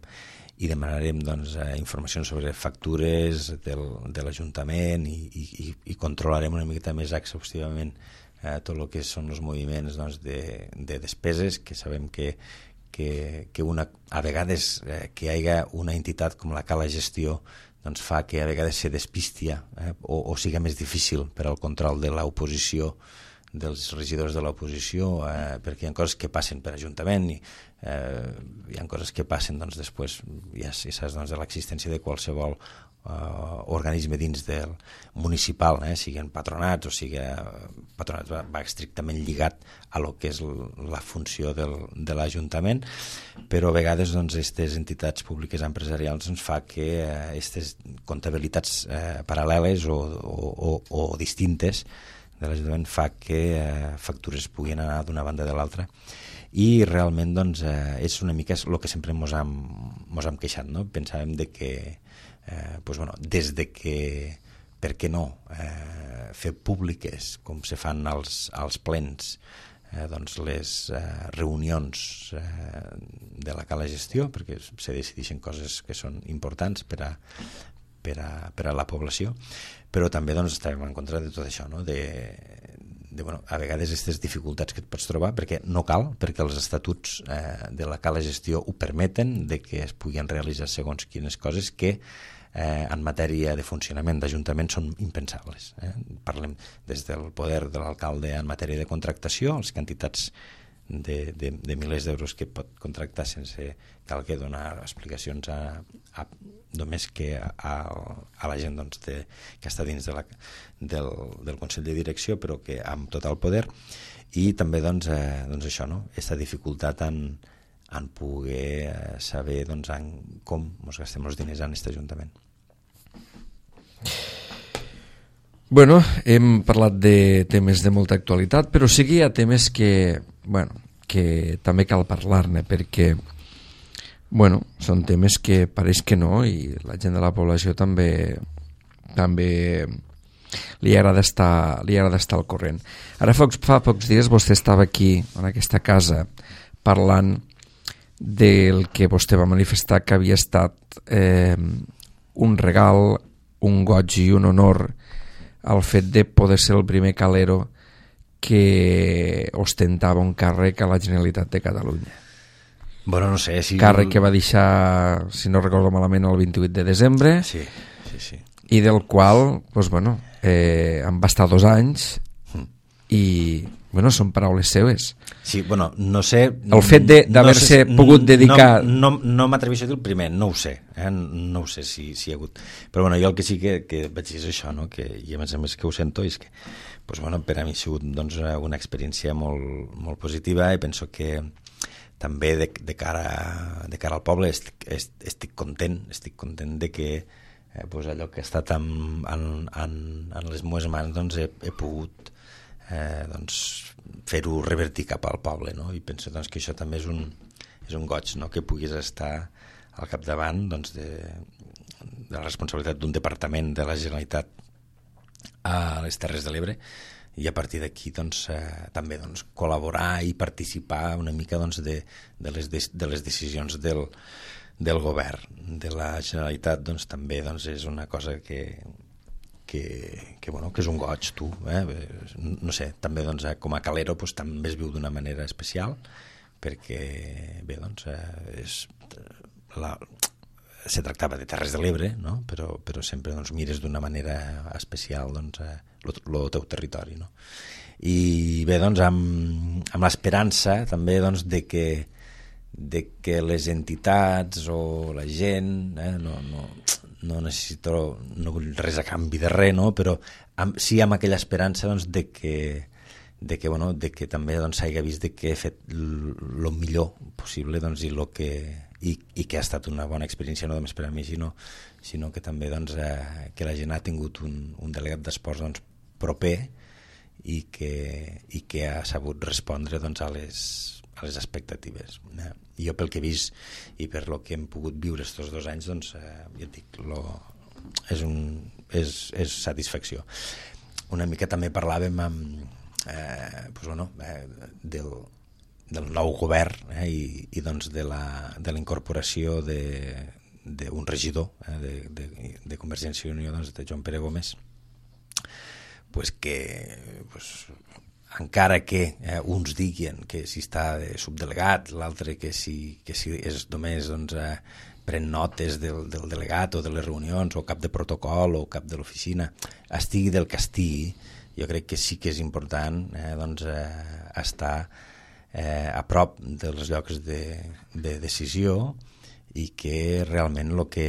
i demanarem doncs, eh, informació sobre factures del, de l'Ajuntament i, i, i controlarem una miqueta més exhaustivament eh, tot el que són els moviments doncs, de, de despeses, que sabem que que, que una, a vegades eh, que hi hagi una entitat com la cala gestió doncs fa que a vegades se despistia eh, o, o siga més difícil per al control de l'oposició, dels regidors de l'oposició, eh, perquè hi ha coses que passen per Ajuntament i eh, hi ha coses que passen doncs, després, ja, ja saps, doncs, de l'existència de qualsevol Uh, organisme dins del municipal, eh, siguin patronats o sigui patronats va, va estrictament lligat a lo que és la funció del, de l'Ajuntament, però a vegades doncs aquestes entitats públiques empresarials ens fa que aquestes uh, comptabilitats uh, paral·leles o, o, o, o distintes de l'Ajuntament fa que uh, factures puguin anar d'una banda de l'altra i realment doncs uh, és una mica el que sempre mos hem, mos hem queixat, no? Pensàvem de que Eh, pues bueno, des de que, per què no, eh, fer públiques, com se fan als, als plens, eh, doncs les eh, reunions eh, de la cala gestió, perquè se decideixen coses que són importants per a, per a, per a la població, però també doncs, estàvem en contra de tot això, no? de, de, bueno, a vegades aquestes dificultats que et pots trobar, perquè no cal, perquè els estatuts eh, de la cala gestió ho permeten, de que es puguin realitzar segons quines coses que Eh, en matèria de funcionament d'Ajuntament són impensables. Eh? Parlem des del poder de l'alcalde en matèria de contractació, les quantitats de, de, de milers d'euros que pot contractar sense cal que donar explicacions a, a, només que a, a, a la gent doncs, de, que està dins de la, del, del Consell de Direcció, però que amb total poder, i també doncs, eh, doncs això, no? Aquesta dificultat en, en poder saber doncs, en com ens gastem els diners en aquest Ajuntament. Bueno, hem parlat de temes de molta actualitat, però sí que hi ha temes que, bueno, que també cal parlar-ne, perquè bueno, són temes que pareix que no, i la gent de la població també també li agrada estar, li agrada estar al corrent. Ara fa, fa pocs dies vostè estava aquí, en aquesta casa, parlant del que vostè va manifestar que havia estat eh, un regal, un goig i un honor al fet de poder ser el primer calero que ostentava un càrrec a la Generalitat de Catalunya. Bueno, no sé si... Càrrec que va deixar, si no recordo malament, el vint-i-vuit de desembre. Sí, sí, sí. i del qual doncs, bueno, eh, em va estar dos anys i bueno, són paraules seves. Sí, bueno, no sé... El fet d'haver-se no sé, pogut dedicar... No, no, no m'atreveixo a dir el primer, no ho sé, eh? no ho sé si, si hi ha hagut... Però bueno, jo el que sí que, que vaig dir és això, no? Que, i a més a més que ho sento, és que pues, bueno, per a mi ha sigut doncs, una experiència molt, molt positiva i penso que també de, de, cara, de cara al poble estic, estic content, estic content de que eh, pues allò que ha estat en, en, en, en les meves mans doncs he, he pogut Eh, doncs, fer-ho revertir cap al poble, no? I penso doncs, que això també és un, és un goig, no? Que puguis estar al capdavant doncs, de, de la responsabilitat d'un departament de la Generalitat a les Terres de l'Ebre i a partir d'aquí doncs, eh, també doncs, col·laborar i participar una mica doncs, de, de, les de, de les decisions del, del govern de la Generalitat, doncs, també doncs, és una cosa que Que, que, bueno, que és un goig, tu, eh? No sé, també doncs, com a calero doncs, també es viu d'una manera especial perquè, bé, doncs, eh, és, la, se tractava de Terres de l'Ebre, no? però, però sempre doncs, mires d'una manera especial doncs, eh, el teu territori, no? I bé, doncs, amb, amb l'esperança també doncs, de que de que les entitats o la gent eh, no, no, no necessito no vull res a canvi de res, no? Però amb, sí amb aquella esperança doncs, de que de que, bueno, de que també doncs, s'hagi vist de que he fet el millor possible doncs, i, lo que, i, i que ha estat una bona experiència no només per a mi sinó, sinó que també doncs, eh, que la gent ha tingut un, un delegat d'esports doncs, proper i que, i que ha sabut respondre doncs, a les a les expectatives. Eh? I jo pel que he vist i per lo que hem pogut viure estos dos anys, doncs, eh, ja et dic, lo, és, un, és, és satisfacció. Una mica també parlàvem amb, eh, pues, bueno, eh, del, del nou govern eh, i, i doncs de la, de la incorporació d'un regidor eh, de, de, de Convergència i Unió, doncs, de Joan Pere Gómez, pues que pues, encara que eh, uns diguin que si està de subdelegat, l'altre que si, que si és només doncs, eh, pren notes del, del delegat o de les reunions o cap de protocol o cap de l'oficina, estigui del que estigui, jo crec que sí que és important eh, doncs, eh, estar eh, a prop dels llocs de, de decisió i que realment el que,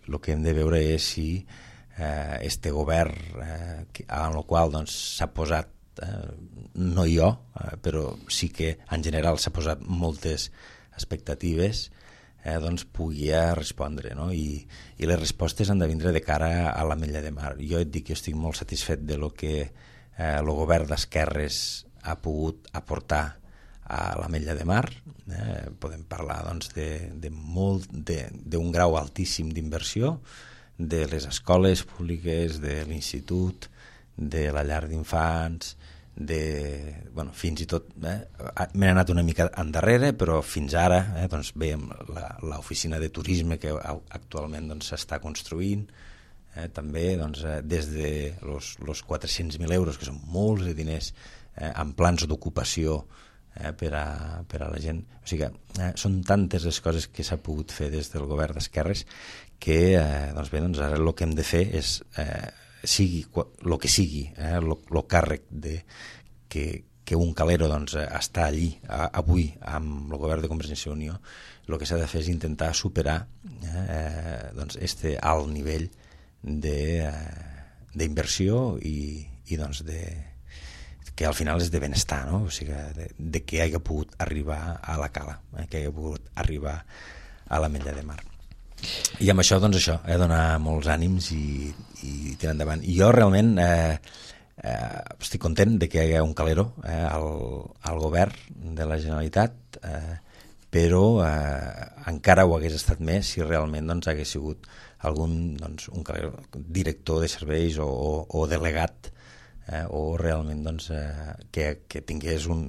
lo que hem de veure és si eh, este govern eh, en el qual doncs, s'ha posat Eh, no jo, eh, però sí que en general s'ha posat moltes expectatives eh, doncs pugui respondre, no? I, i les respostes han de vindre de cara a l'Ametlla de Mar. Jo et dic que estic molt satisfet de lo que eh, el govern d'esquerres ha pogut aportar a l'Ametlla de Mar. Eh, podem parlar doncs, de, de molt, d'un grau altíssim d'inversió de les escoles públiques, de l'institut, de la llar d'infants, de, bueno, fins i tot eh, m'he anat una mica endarrere, però fins ara eh, doncs veiem l'oficina de turisme que actualment doncs, s'està construint eh, també doncs, eh, des de los, los quatre-cents mil euros, que són molts de diners eh, amb plans d'ocupació eh, per, a, per a la gent, o sigui que eh, són tantes les coses que s'ha pogut fer des del govern d'esquerres que eh, doncs bé, doncs ara el que hem de fer és eh, sigui el que sigui, eh, el càrrec de, que, que un calero doncs, està allí a, avui amb el govern de Convergència i Unió, el que s'ha de fer és intentar superar eh, doncs, este alt nivell d'inversió eh, i, i doncs, de, que al final és de benestar, no? O sigui, de, de que hagi pogut arribar a la Cala, eh, que hagi pogut arribar a l'Ametlla de Mar. I amb això, doncs això, eh, donar molts ànims i, i tirar endavant. I jo realment eh, eh, estic content de que hi hagi un calero eh, al, al govern de la Generalitat, eh, però eh, encara ho hagués estat més si realment doncs, hagués sigut algun doncs, un calero, director de serveis o, o, o delegat eh, o realment doncs, eh, que, que tingués un,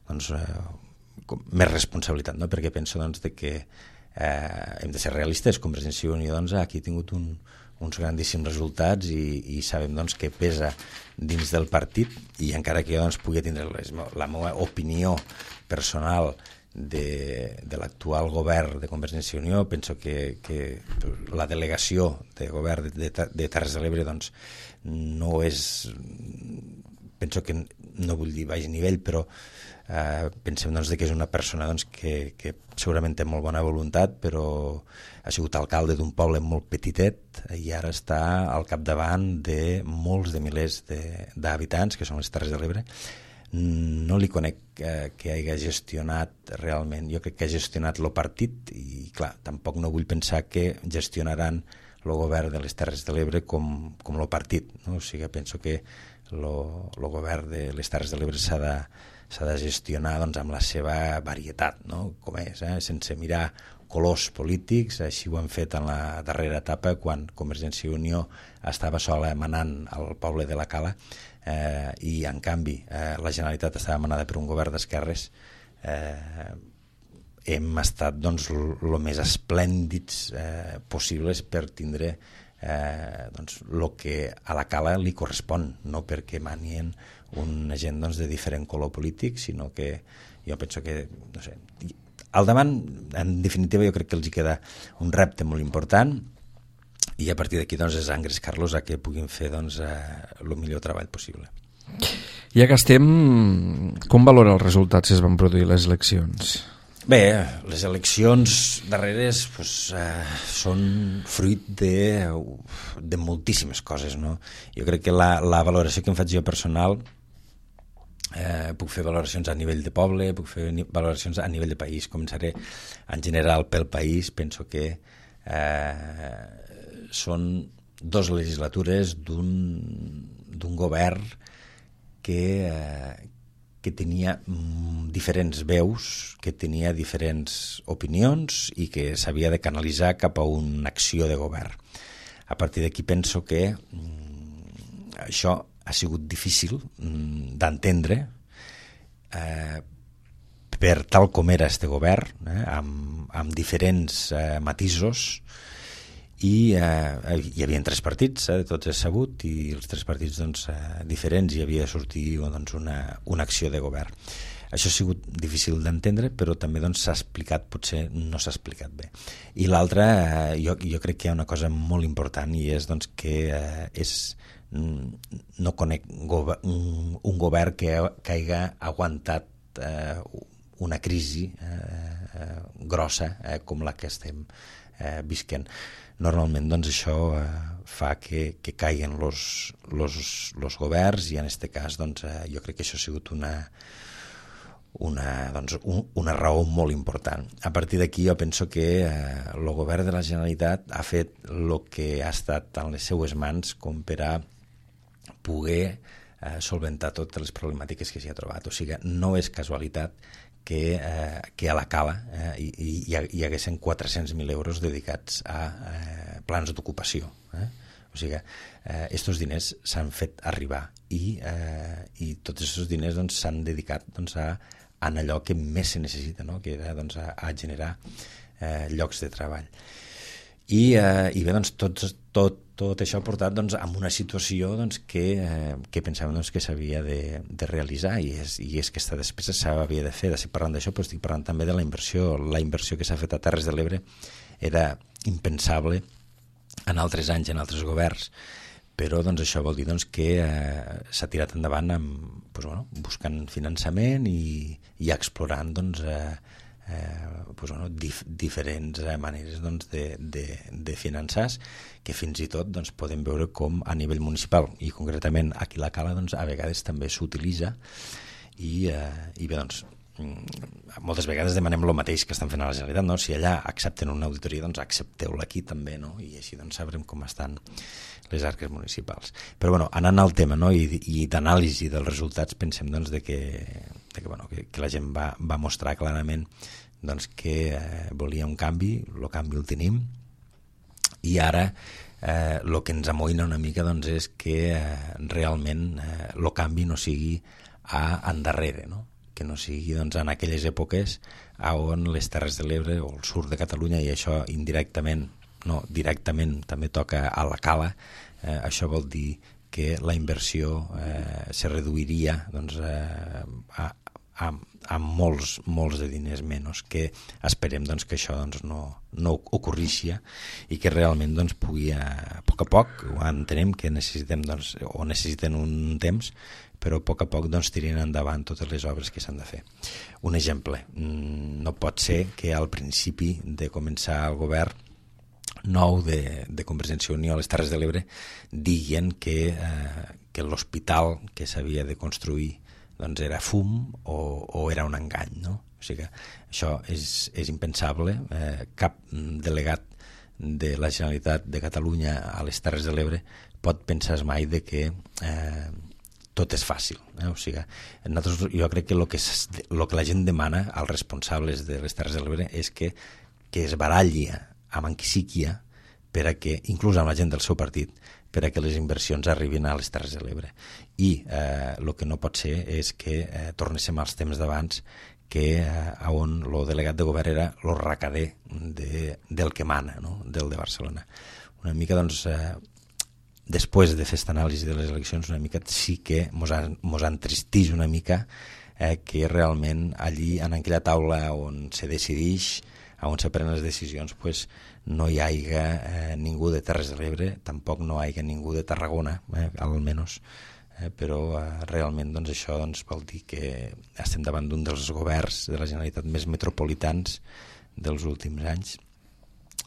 doncs, eh, més responsabilitat, no? Perquè penso doncs, de que Eh, hem de ser realistes. Convergència i Unió doncs, aquí ha tingut un, uns grandíssims resultats i, i sabem doncs, que pesa dins del partit i encara que jo doncs, pugui tindre les, la meva opinió personal de, de l'actual govern de Convergència i Unió. Penso que, que la delegació de govern de, de, de Terres de l'Ebre doncs, no és, penso que no vull dir baix nivell, però eh, pensem doncs, que és una persona doncs, que, que segurament té molt bona voluntat, però ha sigut alcalde d'un poble molt petitet i ara està al capdavant de molts de milers d'habitants, que són les Terres de l'Ebre. No li conec eh, que hagi gestionat realment, jo crec que ha gestionat el partit i clar, tampoc no vull pensar que gestionaran el govern de les Terres de l'Ebre com, com el partit, no? O sigui, penso que el govern de les Terres de l'Ebre s'ha de, s'ha de gestionar doncs, amb la seva varietat, no? Com és, eh? Sense mirar colors polítics. Així ho han fet en la darrera etapa quan Convergència i Unió estava sola manant al poble de la Cala, eh, i en canvi eh, la Generalitat estava manada per un govern d'esquerres. eh, hem estat doncs, el més esplèndids eh, possibles per tindre eh, doncs, el que a la Cala li correspon, no perquè manien una gent doncs, de diferent color polític, sinó que jo penso que, no sé, al davant, en definitiva, jo crec que els hi queda un repte molt important i a partir d'aquí doncs, és engrescar-los a que puguin fer doncs, eh, el millor treball possible. Ja que estem, com valora els resultats que es van produir les eleccions? Bé, les eleccions darreres pues, eh, són fruit de, de moltíssimes coses, no? Jo crec que la, la valoració que em faig jo personal, eh, puc fer valoracions a nivell de poble, puc fer valoracions a nivell de país. Començaré en general pel país. Penso que eh, són dues legislatures d'un d'un govern que, eh, que tenia diferents veus, que tenia diferents opinions i que s'havia de canalitzar cap a una acció de govern. A partir d'aquí penso que mm, això ha sigut difícil mm, d'entendre eh, per tal com era este govern, eh, amb, amb diferents eh, matisos, i eh, hi havia tres partits, eh, tots és sabut, i els tres partits doncs, eh, diferents, hi havia de sortir doncs, una, una acció de govern. Això ha sigut difícil d'entendre, però també doncs, s'ha explicat, potser no s'ha explicat bé. I l'altre, eh, jo, jo crec que hi ha una cosa molt important, i és doncs, que eh, és, no conec gover un, un govern que, que hagi aguantat eh, una crisi eh, grossa eh, com la que estem eh, visquent. Normalment doncs, això eh, fa que, que caiguen els governs i en aquest cas doncs, eh, jo crec que això ha sigut una, una, doncs, un, una raó molt important. A partir d'aquí jo penso que eh, el govern de la Generalitat ha fet el que ha estat en les seues mans com per a poder eh, solventar totes les problemàtiques que s'hi ha trobat. O sigui, no és casualitat que, eh, que a la Cala eh, hi, hi, hi haguessin quatre-cents mil euros dedicats a eh, plans d'ocupació. Eh? O sigui, eh, estos diners s'han fet arribar i, eh, i tots aquests diners doncs, s'han dedicat doncs, a, a allò que més se necessita, no? Que era doncs, a, a generar eh, llocs de treball. I, eh, i bé, doncs, tot, tot, tot això ha portat doncs, a una situació doncs, que, eh, que pensàvem doncs, que s'havia de, de realitzar i és, i és que aquesta despesa s'havia de fer. Estic parlant d'això, però estic parlant també de la inversió. La inversió que s'ha fet a Terres de l'Ebre era impensable en altres anys, en altres governs, però doncs, això vol dir doncs, que eh, s'ha tirat endavant amb, doncs, bueno, buscant finançament i, i explorant doncs, eh, Eh, pues, bueno, dif diferents eh, maneres doncs, de, de, de finançar, que fins i tot doncs, podem veure com a nivell municipal i concretament aquí a la Cala doncs, a vegades també s'utilitza i, eh, i bé, doncs, moltes vegades demanem el mateix que estan fent a la Generalitat, no? Si allà accepten una auditoria, doncs accepteu-la aquí també, no? I així doncs sabrem com estan les arques municipals. Però bueno, anant al tema, no? I, i d'anàlisi dels resultats, pensem doncs, de que, de que, bueno, que, que la gent va, va mostrar clarament doncs, que eh, volia un canvi, el canvi el tenim, i ara eh, el que ens amoïna una mica doncs, és que eh, realment el eh, canvi no sigui a endarrere, no? Que no sigui doncs, en aquelles èpoques on les Terres de l'Ebre o el sud de Catalunya, i això indirectament, no, directament també toca a la Cala, eh, això vol dir que la inversió eh, se reduiria doncs, eh, a, amb, amb molts, molts de diners menys, que esperem doncs, que això doncs, no, no ocorreixi i que realment doncs, pugui, a poc a poc, entenem que necessitem doncs, o necessiten un temps, però a poc a poc doncs, tirin endavant totes les obres que s'han de fer. Un exemple, no pot ser que al principi de començar el govern nou de, de Convergència i Unió a les Terres de l'Ebre diguen que, eh, que l'hospital que s'havia de construir doncs era fum o, o era un engany, no? O sigui que això és, és impensable. Eh, cap delegat de la Generalitat de Catalunya a les Terres de l'Ebre pot pensar mai de que eh, tot és fàcil. Eh? O sigui, nosaltres, jo crec que el que, lo que la gent demana als responsables de les Terres de l'Ebre és que, que es baralli amb en qui sigui per a que, inclús amb la gent del seu partit, per a que les inversions arribin a les Terres de l'Ebre. I el eh, que no pot ser és que eh, tornéssim als temps d'abans, que eh, on el delegat de govern era el recader de, del que mana, no? Del de Barcelona. Una mica, doncs, eh, després de fer aquesta anàlisi de les eleccions, una mica sí que mos, ha, mos entristeix una mica eh, que realment allí, en aquella taula on se decideix, on se prenen les decisions, pues, no hi haiga eh, ningú de Terres de l'Ebre, tampoc no hi haiga ningú de Tarragona, eh, almenys, eh, però eh, realment doncs, això doncs, vol dir que estem davant d'un dels governs de la Generalitat més metropolitans dels últims anys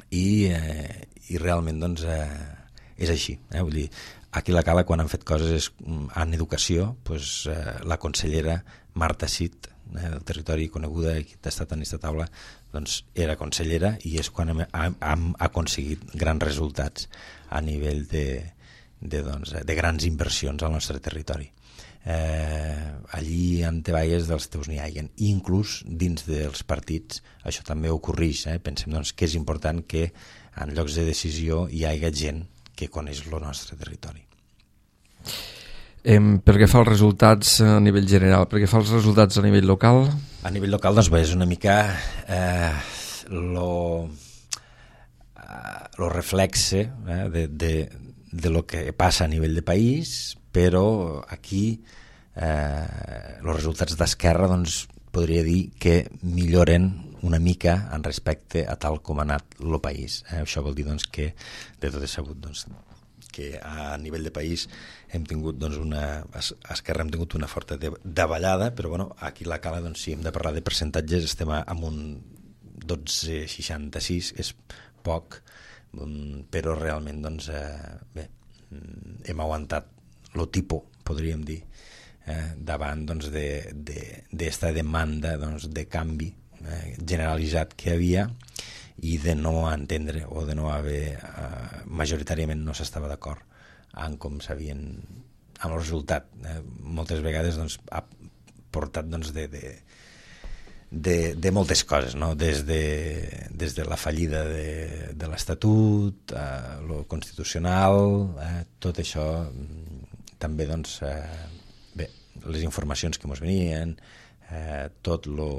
i, eh, i realment doncs, eh, és així. Eh? Vull dir, aquí a la Cala, quan han fet coses en educació, doncs, eh, la consellera Marta Cid, eh, del territori coneguda, que ha estat en aquesta taula, doncs era consellera i és quan hem, hem aconseguit grans resultats a nivell de, de, doncs, de grans inversions al nostre territori. Eh, allí en teballes dels teus n'hi haiguen, i inclús dins dels partits això també ocorreix. Eh? Pensem doncs, que és important que en llocs de decisió hi hagi gent que coneix el nostre territori. Eh, pel que fa als resultats a nivell general, pel que fa als resultats a nivell local? A nivell local, doncs bé, és una mica eh, lo, eh, lo reflexe eh, de, de, de lo que passa a nivell de país, però aquí eh, els resultats d'Esquerra doncs, podria dir que milloren una mica en respecte a tal com ha anat el país. Eh? Això vol dir doncs, que de tot és sabut doncs, que a nivell de país hem tingut doncs, una, a Esquerra hem tingut una forta davallada, però bueno, aquí a la Cala, doncs, si hem de parlar de percentatges, estem amb un dotze coma seixanta-sis, és poc, però realment doncs, eh, bé, hem aguantat lo tipus, podríem dir, eh, davant doncs, d'esta de, de, demanda doncs, de canvi eh, generalitzat que hi havia i de no entendre o de no haver, eh, majoritàriament no s'estava d'acord en com s'havien, amb el resultat. Eh, moltes vegades doncs, ha portat doncs, de, de, de, de moltes coses, no? Des de, des de la fallida de, de l'Estatut, eh, lo constitucional, eh, tot això també, doncs, eh, bé, les informacions que ens venien, eh, tot lo,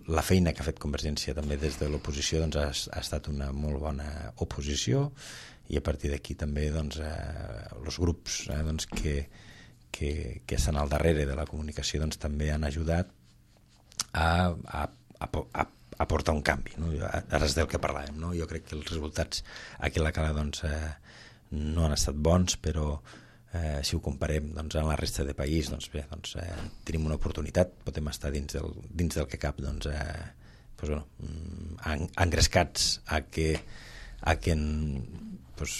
la feina que ha fet Convergència també des de l'oposició doncs, ha, ha estat una molt bona oposició, i a partir d'aquí també doncs, eh, els grups eh, doncs, que, que, que estan al darrere de la comunicació doncs, també han ajudat a, a, a, a, a portar un canvi, no? Ara és del que parlàvem, no? Jo crec que els resultats aquí a la Cala doncs, eh, no han estat bons, però Eh, si ho comparem doncs, amb la resta de país, doncs bé, doncs, eh, tenim una oportunitat, podem estar dins del, dins del que cap doncs, eh, doncs, bueno, en, engrescats a que, a que en, doncs,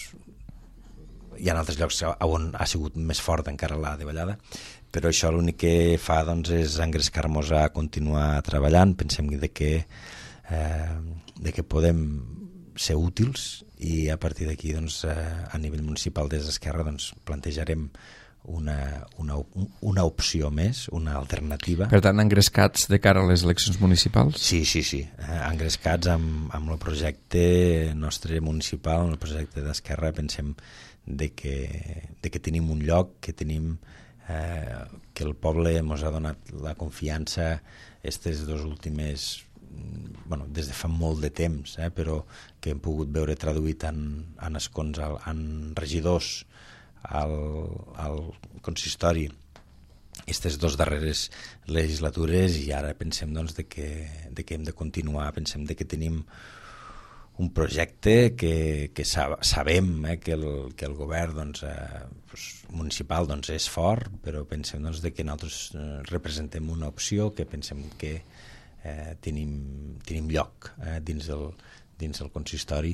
hi ha altres llocs on ha sigut més fort encara la davallada, però això l'únic que fa doncs, és engrescar-nos a continuar treballant. Pensem de que, eh, de que podem ser útils i a partir d'aquí doncs, a nivell municipal des d'Esquerra doncs, plantejarem una, una, una opció més, una alternativa. Per tant, engrescats de cara a les eleccions municipals? Sí, sí, sí, engrescats amb, amb el projecte nostre municipal, amb el projecte d'Esquerra. Pensem de que, de que tenim un lloc, que tenim eh, que el poble ens ha donat la confiança aquestes dues últimes, bueno, des de fa molt de temps, eh, però que hem pogut veure traduït en, en escons, en regidors al, al consistori aquestes dues darreres legislatures, i ara pensem doncs, de que, de que hem de continuar, pensem de que tenim un projecte que, que sabem eh, que, el, que el govern doncs, eh, doncs, municipal doncs, és fort, però pensem doncs, de que nosaltres eh, representem una opció que pensem que eh, tenim, tenim lloc eh, dins, el, dins el consistori,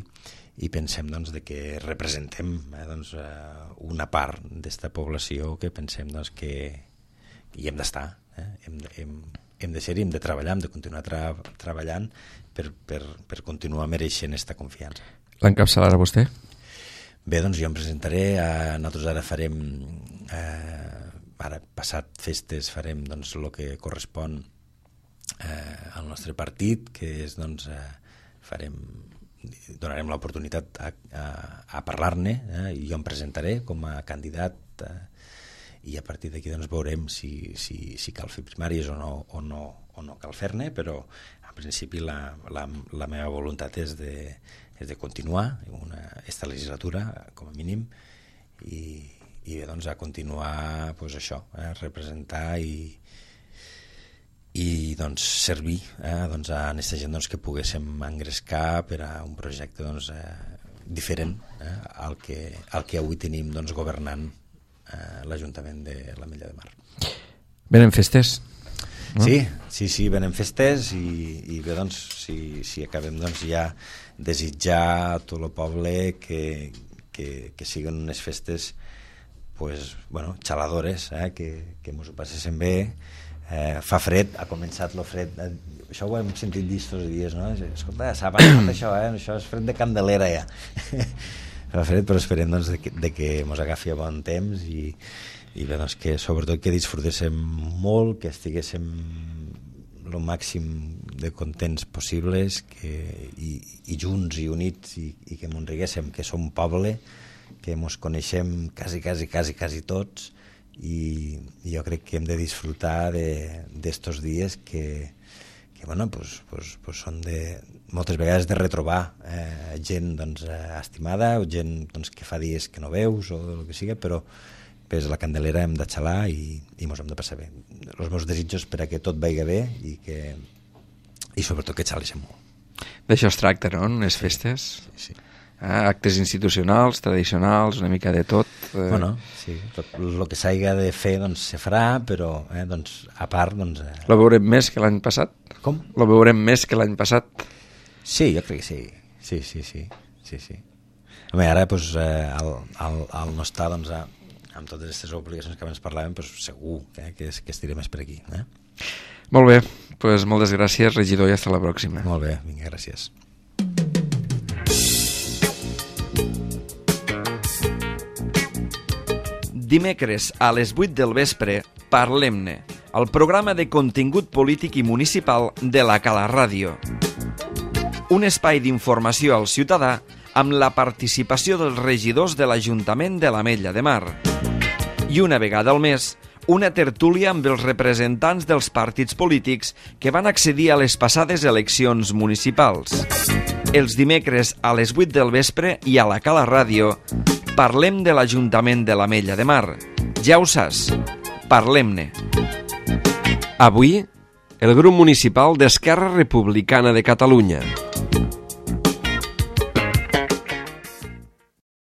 i pensem doncs, de que representem eh, doncs, eh, una part d'esta població que pensem doncs, que hi hem d'estar, eh? hem, hem, hem de ser-hi, hem de treballar, hem de continuar tra treballant per, per, per continuar mereixent aquesta confiança. L'encapçalarà vostè? Bé, doncs jo em presentaré, eh, nosaltres ara farem, eh, ara passat festes farem doncs, el que correspon eh, al nostre partit, que és, doncs, eh, farem, donarem l'oportunitat a, a, a parlar-ne, eh, i jo em presentaré com a candidat, eh, i a partir d'aquí doncs, veurem si, si, si cal fer primàries o no, o no, o no cal fer-ne, però en principi la, la, la meva voluntat és de, és de continuar una, esta legislatura com a mínim, i, i bé, doncs, a continuar pues, això, eh, representar i, i doncs, servir eh, doncs, a aquesta gent doncs, que poguéssim engrescar per a un projecte doncs, eh, diferent eh, al, que, al que avui tenim doncs, governant l'Ajuntament de l'Ametlla de Mar. Venen festes? No? Sí, sí, sí, venen festes, i, i bé, doncs, si, si acabem doncs, ja desitjar a tot el poble que, que, que siguin unes festes pues, bueno, xaladores, eh, que, que ens ho passéssim bé. Eh, fa fred, ha començat el fred, eh, això ho hem sentit dir aquests dies, no? Escolta, s'ha passat això, eh? Això és fred de Candelera ja. Fa fred, però esperem doncs, de que, de que ens agafi a bon temps, i, i bé, doncs, que sobretot que disfrutéssim molt, que estiguéssim el màxim de contents possibles, que, i, i junts i units, i, i que ens riguéssim, que som poble, que ens coneixem quasi, quasi, quasi, quasi tots, i, i jo crec que hem de disfrutar d'estos dies que, que bueno, pues, pues, pues són de, moltes vegades de retrobar eh, gent doncs, eh, estimada, o gent doncs, que fa dies que no veus o el que sigui, però pues, la Candelera hem de xalar i, i ens hem de passar bé. Els meus desitjos per a que tot vagi bé, i, que, i sobretot que xaleixem molt. D'això es tracta, no?, en les festes? Sí, sí. Ah, actes institucionals, tradicionals, una mica de tot. Eh... Bueno, sí, tot el que s'hagi de fer doncs, se farà, però eh, doncs, a part... Doncs, eh... Lo veurem més que l'any passat? Com? Lo veurem més que l'any passat? Sí, jo crec que sí. Sí, sí, sí. sí, sí. Home, ara doncs, eh, al, al, al no estar doncs, a, amb totes aquestes obligacions que abans parlàvem, doncs, segur eh, que, que estirem més per aquí. Eh? Molt bé, doncs moltes gràcies, regidor, i fins la pròxima. Molt bé, vinga, gràcies. Dimecres a les vuit del vespre, Parlem-ne, el programa de contingut polític i municipal de la Cala Ràdio. Un espai d'informació al ciutadà amb la participació dels regidors de l'Ajuntament de l'Ametlla de Mar. I una vegada al mes, una tertúlia amb els representants dels partits polítics que van accedir a les passades eleccions municipals. Els dimecres a les vuit del vespre i a la Cala Ràdio parlem de l'Ajuntament de l'Ametlla de Mar. Ja ho saps, parlem-ne. Avui, el grup municipal d'Esquerra Republicana de Catalunya.